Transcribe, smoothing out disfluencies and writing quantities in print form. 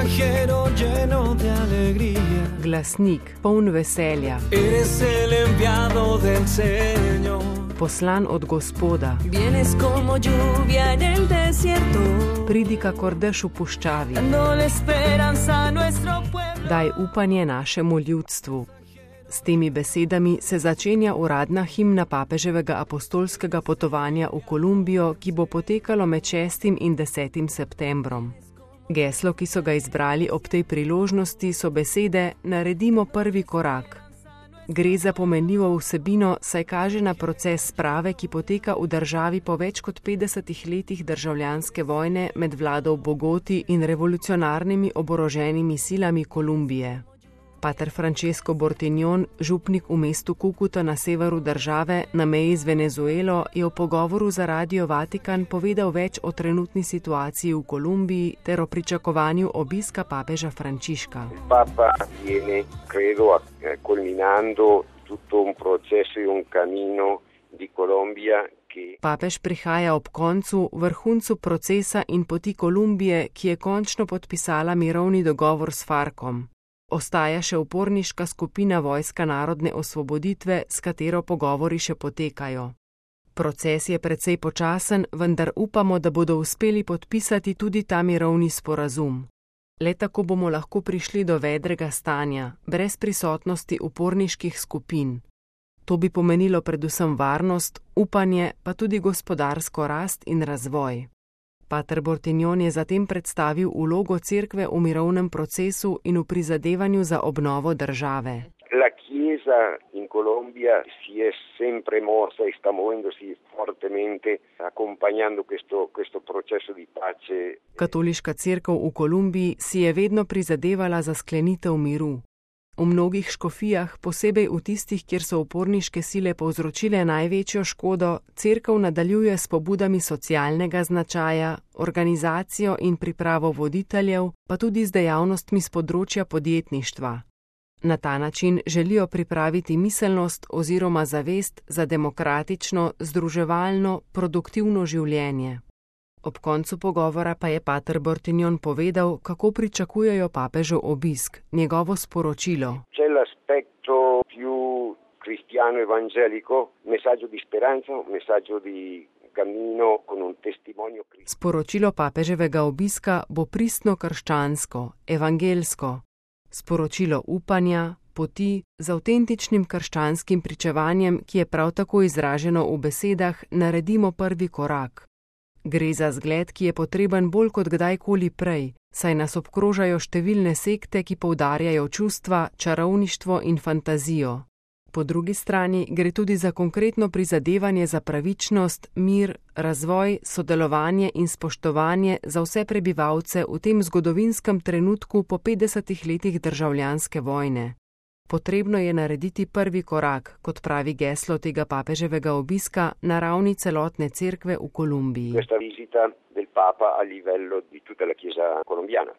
mensajero lleno de alegría. Glasnik, poln veselja. Eres el enviado del Señor. Poslan od Gospoda. Vienes como lluvia en el desierto. Pridi kakor dež v puščavi. Dándole esperanza a nuestro pueblo. Daj upanje našemu ljudstvu. S temi besedami se začenja uradna himna papeževega apostolskega potovanja v Kolumbijo, ki bo potekalo med 6. in 10. septembrom. Geslo, ki so ga izbrali ob tej priložnosti, so besede Naredimo prvi korak. Gre za pomenljivo vsebino, saj kaže na proces sprave, ki poteka v državi po več kot 50 letih državljanske vojne med vlado v Bogoti in revolucionarnimi oboroženimi silami Kolumbije. Pater Francesco Bortignon, župnik v mestu Kukuta na severu države, na meji z Venezuelo, je v pogovoru za Radio Vatikan povedal več o trenutni situaciji v Kolumbiji ter o pričakovanju obiska papeža Frančiška. Papa viene, credo, culminando tutto un processo e un cammino di Colombia. Papež prihaja ob koncu, vrhuncu procesa in poti Kolumbije, ki je končno podpisala mirovni dogovor s Farkom. Ostaja še uporniška skupina Vojska narodne osvoboditve, s katero pogovori še potekajo. Proces je precej počasen, vendar upamo, da bodo uspeli podpisati tudi ta mirovni sporazum. Le tako bomo lahko prišli do vedrega stanja, brez prisotnosti uporniških skupin. To bi pomenilo predvsem varnost, upanje, pa tudi gospodarsko rast in razvoj. Pater Bortignon je zatem predstavil vlogo cerkve v mirovnem procesu in v prizadevanju za obnovo države. La Chiesa in Colombia si è sempre mossa e sta muovendosi fortemente accompagnando questo processo di pace. Katoliška cerkev v Kolumbiji si je vedno prizadevala za sklenitev miru. V mnogih škofijah, posebej v tistih, kjer so uporniške sile povzročile največjo škodo, cerkev nadaljuje s pobudami socialnega značaja, organizacijo in pripravo voditeljev, pa tudi z dejavnostmi z področja podjetništva. Na ta način želijo pripraviti miselnost oziroma zavest za demokratično, združevalno, produktivno življenje. Ob koncu pogovora pa je pater Bortignon povedal, kako pričakujejo papežev obisk, njegovo sporočilo. C'è l'aspetto più cristiano evangelico, messaggio di speranza, messaggio di cammino con un testimonio. Sporočilo papeževega obiska bo pristno krščansko, evangelsko. Sporočilo upanja, poti z avtentičnim krščanskim pričevanjem, ki je prav tako izraženo v besedah Naredimo prvi korak. Gre za zgled, ki je potreben bolj kot kdajkoli prej, saj nas obkrožajo številne sekte, ki poudarjajo čustva, čarovništvo in fantazijo. Po drugi strani gre tudi za konkretno prizadevanje za pravičnost, mir, razvoj, sodelovanje in spoštovanje za vse prebivalce v tem zgodovinskem trenutku po 50 letih državljanske vojne. Potrebno je narediti prvi korak, kot pravi geslo tega papeževega obiska, na ravni celotne cerkve v Kolumbiji. Questa visita del Papa a livello di tutta la Chiesa colombiana.